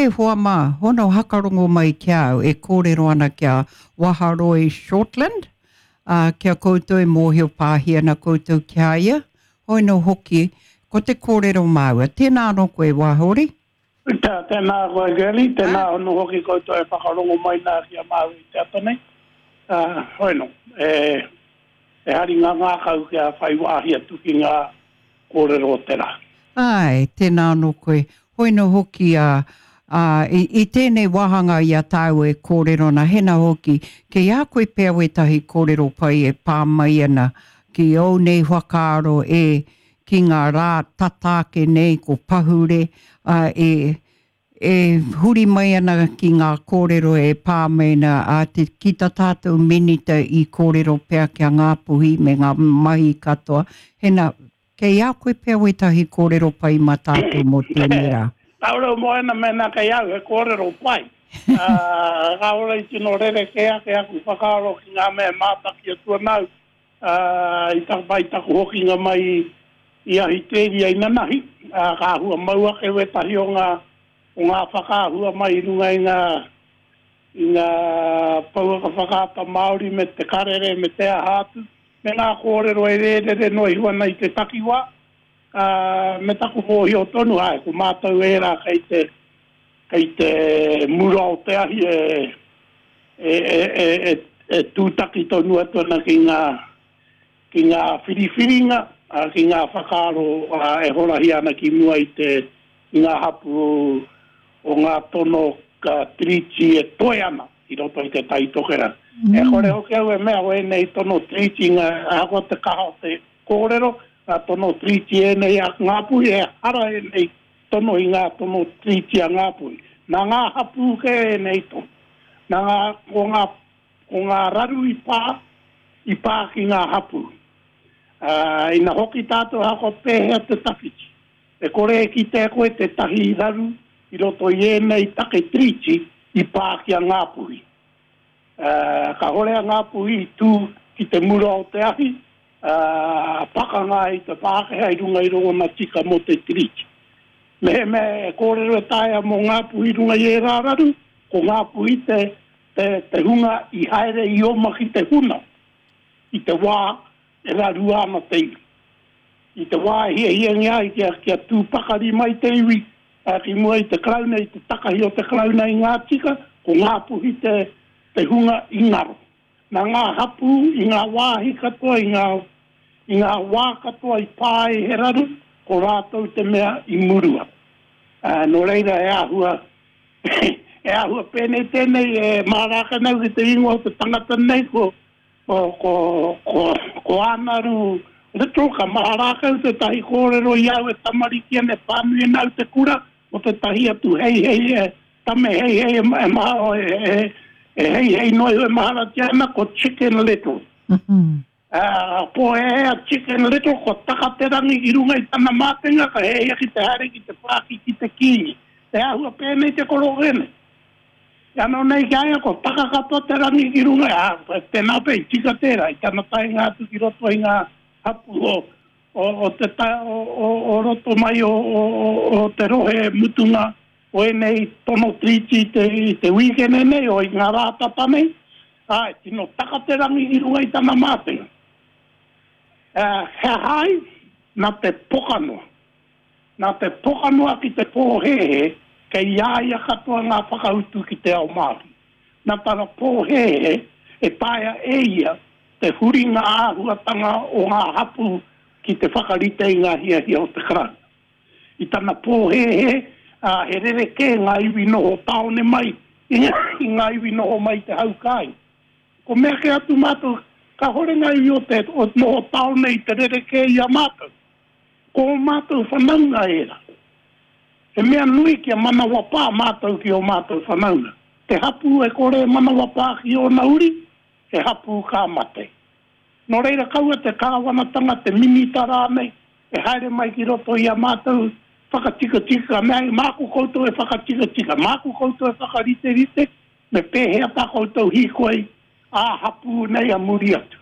E hoa mā, hono hakarongo mai ki a au e kōrero ana ki a Waharoi Shortland, ā, ki a koutou e mōhio pāhi ana koutou ki a ia, hoi nō hoki, ko te kōrero māua. Tēnā anō koe, Wahori. Tēnā, tēnā koe Girlie, tēnā anō hoki koutou e whakarongo mai nā ki a māua i te ata nei. Ā, hoi nō, e, e hari ngā ngākau kia whai wāhi atu ki ngā kōrero o te rā. Āe, tēnā anō koe. Hoi nō hoki, ā, ā, i, i tēnei wāhanga i a tāua e kōrero ana, hena hoki, kei a koe pea wētahi kōrero pai e pā mai ana ki ōu nei whakaaro e, ki ngā rā tata ake nei ko pahure, ā, e, e huri mai ana ki ngā kōrero e pā mai ana ā, te, ki tā tātou minita i kōrero pea ki a Ngāpuhi me ngā mahi katoa. Hena, kei a koe pea wētahi kōrero pai mā tātou mō tēnei rā? Kāore o Moana mēnā kei au he kōrero pai. Ā, kāore i tino rerekē ake aku whakaaro ki ngā mea e mātaki atu ana au Ā, i taku whai taku hokinga mai i Ahiteria inanahi, ā, ka āhua mau ake wētahi o ngā, o ngā whakaahua mai i runga i ngā, i ngā pouaka whakaata Māori me te karere me te aha atu, me ngā kōrero e rērere noa iho ana i te takiwā, ā, me taku mōhio tonu, āe, ko mātou ērā kei te, Kei te mura o te ahi e, e, e, e, e, e tūtaki tonu atu ana ki ngā, ki ngā whiriwhiringa, ki ngā whakaaro e horahia ana ki mua i te, i ngā hapū o ngā tono Tiriti e toe ana i roto i Te Tai Tokerau. E kore hoki au e mea o ēnei tono Tiriti ngā, ahakoa te kaha o te kōrero, ngā tono Tiriti ēnei a Ngāpuhi, ehara ēnei Tono i ngā tono Tiriti a Ngāpuhi. Nā ngā hapū kē ēnei tono. Nā ngā, ko ngā, ko ngā raru i pā, i pā ki ngā hapū. Ā, ina hoki tātou ahakoa pēhea te tawhiti, e kore e kite e koe tētahi raru i roto i ēnei take Tiriti i pā ki a Ngāpuhi. Ā, kāhore a Ngāpuhi i tū ki te mura o te ahi, ā, pakanga ai te Pākehā i runga i rōna tika mō te Tiriti. Mehemea e kōrero e taea mō Ngāpuhi i runga i ērā raru, ko Ngāpuhi te, te, te hunga i haere i oma ki te huna i te wā e rarua ana te iwi. I te wā e hiahiangia ai kia, kia tū pakari mai te iwi, ā, ki mua i te Karauna, i te takahi o te Karauna i ngā tika, ko Ngāpuhi te, te hunga i ngaro. Nā ngā hapū i ngā wāhi katoa, i ngā, i ngā wā katoa i pā ai he raru, ko rātou te mea i murua. Ā, nō reira he āhua, he āhua pēnei tēnei e mārāka nei ki te ingoa o te tangata nei, ko, ko, ko, ko, ko Ānaru Little, ka maha rākau tētahi kōrero i au e tamariki ana e pānui ana au te kura, o tētahi atu heihei e, Tame heihei e maha e heihei noa iho e maharatia ana ko Chicken Little. Ā, pōhēhē a Chicken Little kua taka te rangi ki runga i tana mātenga ka heihia ki te haere ki te pāki ki te kīngi. He āhua pēnei te koroke nei. Anō nei ki a ia kua taka katoa te rangi ki runga, ā, tēnā pea i tika tērā i tana taenga atu ki roto i ngā hapū o o te o roto mai o o te rohe mutunga o ēnei tono tiriti i te, i te wīkene nei, o i ngā rā tata nei, āe, tino taka te rangi i runga i tana mātenga. Ā, he aha ai? Nā te pokanoa. Nā te pokanoa ki te pōhēhē, kei a ia katoa ngā whakautu ki te ao Māori. Nā tana pōhēhē e taea e ia te huri ngā āhuatanga o ngā hapū ki te whakarite i ngā hiahia o te Karauna. I tana pōhēhē, ā, he rerekē ngā iwi noho tāone mai i ngā iwi noho mai i te hau kāinga. Ko mea kē atu mātou, kāhore ngā iwi o te noho tāone i te rerekē i a mātou. Ko ō mātou whanaunga ērā. He mea nui kia manawapā mātou ki ō mātou whanaunga. Te hapū e kore e manawapā ki ōna uri, he hapū ka mate. Nō reira kaua te kāwanatanga, te minita rānei, e haere mai ki roto i a mātou whakatikatika, ka mea ai, māku koutou e whakatikatika, māku koutou e whakariterite, me pēhea tā koutou hīkoi ā-hapū nei a muri atu.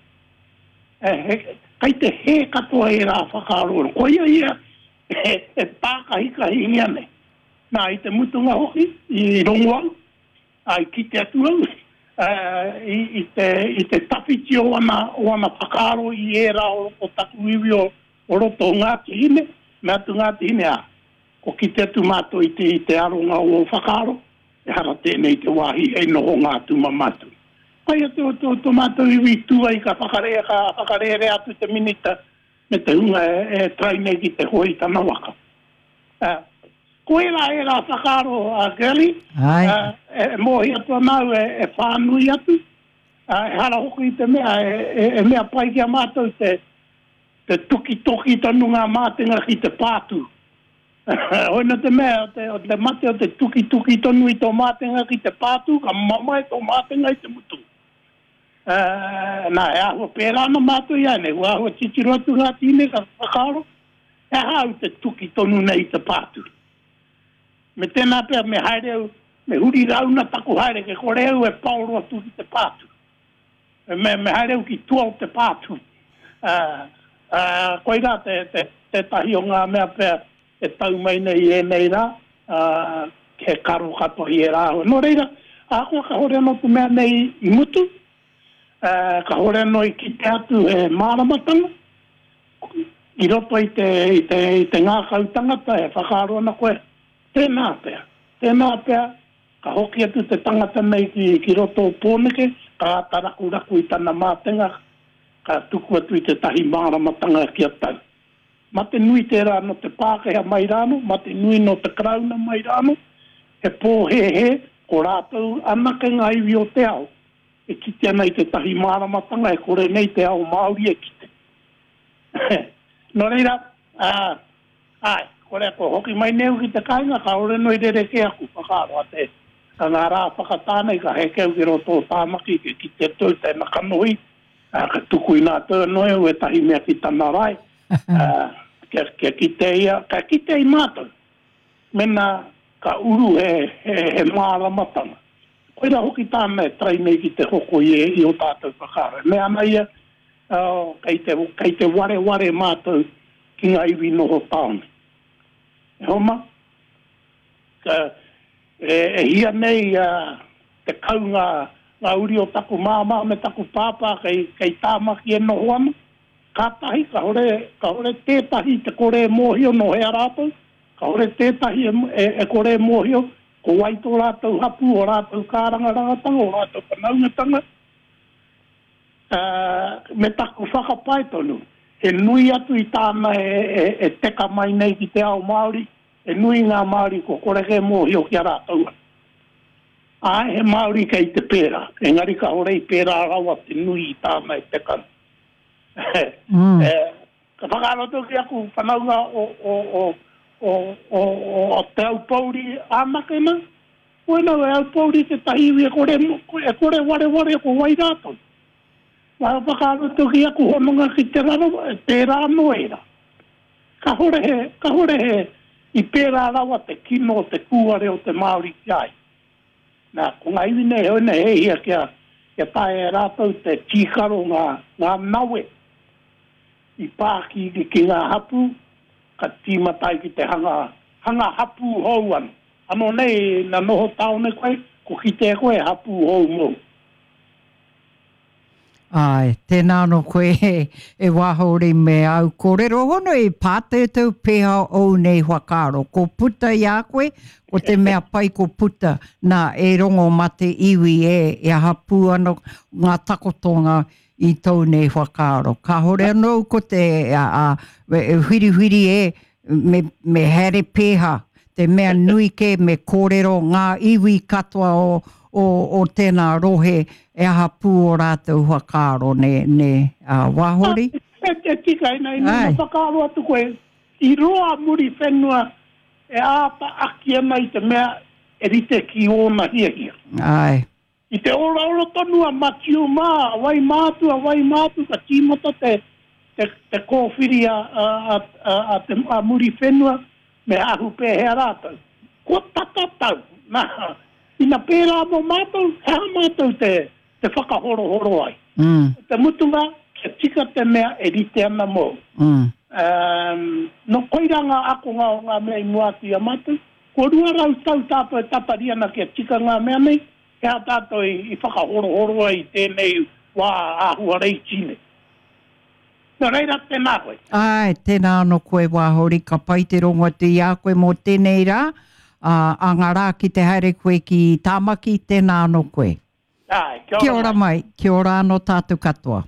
E, he, kei te hē katoa ērā whakaaro, koia ia e, e pākahikahingia nei. Nā, i te mutunga hoki, i rongo au, ā, i kite atu au, ā, i, i te, i te tawhiti o ana, o ana whakaaro i ērā o, o taku iwi o, o roto o Ngāti Hine, mea atu Ngāti Hine, ā, ko kite atu mātou i te, i te aronga o ō whakaaro, ehara tēnei te wāhi hei nohonga atu ma mātou. Pai atu o tō, tō mātou iwi i tū ai ka whakare, ka whakarērea atu te Minita me te hunga e, e try nei ki te hoe i tana waka. Ā, ko ērā ērā whakaaro a Girlie, ā, e mōhio atu ana au e whānui atu, ā, ehara hoki i te mea e mea pai ki a mātou te tukitoki tonu ngā mātenga ki te pātū. Hoi nō te mea, o te mate o te tukituki tonu i tō mātenga ki te pātū, ka mamae tō mātenga i te mutunga. Ā, nā, e āhua pērā ana mātou iāianei, kua āhua titiro atu ngā tīne ka whakaaro, He aha au te tuki tonu nei i te pātū? Me tēnā pea me haere au, me huri rauna taku haere ke kore au e paoro atu ki te pātū. Me, me haere au ki tua o te pātū. Ā, ā, koirā te, te, tētahi o ngā mea pea e tau mai nei i ēnei rā, ā, he karo katoa i ērā āhua. Nō reira, ahakoa kāore anō te mea nei i mutu, ā, kāore anō i kite atu he māramatanga, I roto i te, i te, i te ngākau tangata e whakaaro ana koe, tēnā pea, tēnā pea, ka hoki atu te tangata nei ki, ki roto o Pōneke, ka āta rakuraku i tana mātenga, ka tuku atu i tētahi māramatanga ki a tau. Mate nui tērā nō te Pākehā mai rānō, mate nui nō te Karauna mai rānō, he pōhēhē ko rātou anake ngā iwi o te ao e kite ana i tētahi māramatanga e kore nei te ao Māori e kite. Nō reira, ā, āe, kore kua hoki mai nei au ki te kāinga, kāore noa i rerekē aku whakaaro a te, a ngā rā whakatā nei ka heke au ki roto o Tāmaki, kia kite atu au tēnā kanohi, ā, ka tuku inā atu anō e au ētahi mea ki tana rae, ā, kia, kia kite ia, kia kite i mātou, mēnā ka uru he, he, he māramatanga. Koirā hoki tāna e try nei ki te hoko i, i ō tātou whakaaro. E mea ana ia, Oh, kei te, kei te wareware mātou ki ngā iwi noho tāone. E homa, ka, e, e hia nei uh, tekau ngā, ngā uri o taku māmā me taku pāpā kei, kei Tāmaki e noho ana. Kātahi, kahore, kahore tētahi te kore e mōhio nō hea rātou, kahore tētahi e, e, e kore e mōhio ko wai tō rātou hapū, ō rātou kārangarangatanga, ō rātou whanaungatanga. Ā, me taku whakapae tonu, he nui atu i tāna e teka mai nei ki te ao Māori, he nui ngā Māori kua kore kē mōhio ki a rātou anō. Āe, he Māori kei te pērā, engari kāore i pērā rawa te nui i tāna e teka nei. Ka whakaaro atu ki aku whanaunga o Te Aupōuri anake nā, Koinā e Aupōuri tētahi iwi e kore, e kore wareware ko wai rātou. Wā whakaaro atu ki aku hononga ki Te Rarawa, e pērā anō ērā. Kahore he, kahore he, i pērā rawa te kino o te kūare o te Māori ki a ia. Nā, ko ngā iwi nei, heoi nei, he hia kia, kia taea e rātou te tīkaro ngā, ngā nawe i pā ki, ki ngā hapū, ka tīmata ai ki te hanga, hanga hapū hou anō. Ano nei, na noho taone koe, ko kite koe he hapū hou mou. Āe, tēnā anō koe e Wāhori me āu kōrero hono i pāteuteu pēha ōu nei whakaaro. Ko puta i a koe, ko te mea pai ko puta, nā, e rongo mā te iwi e, e aha pū ana ngā takotonga i tōu nei whakaaro. Kāhore anō ko te a, a, e whiriwhiri e, me, me haere pēha, te mea nui kē me kōrero ngā iwi katoa o, o, o tēnā rohe e aha pū o rātou whakaaro, nē, nē, ā, Wāhori? E, e tika ina, ina whakaaro atu koe, i roa Muriwhenua e āta aki ana i te mea e rite ki ōna hiahia. Āe. I te oraora tonu a Matiu mā, a wai mā atu, a wai mā atu, ka tīmata te, te, te kōwhiri a, a, a, a, a te, a Muriwhenua me ahu pēhea rātou. Kua tata tau, nā, ina pērā mō mātou, he aha mātou te, te whakahorohoro ai? Mm. Ko te mutunga, kia tika te mea e rite ana mōu. Mm. Um, no, koirā ngā akonga o ngā mea i mua atu i a mātou. Kua 200 tau tātou e tatari ana kia tika ngā mea nei, he aha tātou i whakahorohoro ai i tēnei wā āhua reiti nei? Nō reira, tēnā koe. Āe, tēnā anō koe Wāhori, ka pai te rongo atu i a koe mō tēnei rā, ā, ā ngā rā ki te haere koe ki Tāmaki, tēnā anō koe. Āe, kia ora mai. Kia ora mai, kia ora anō tātou katoa.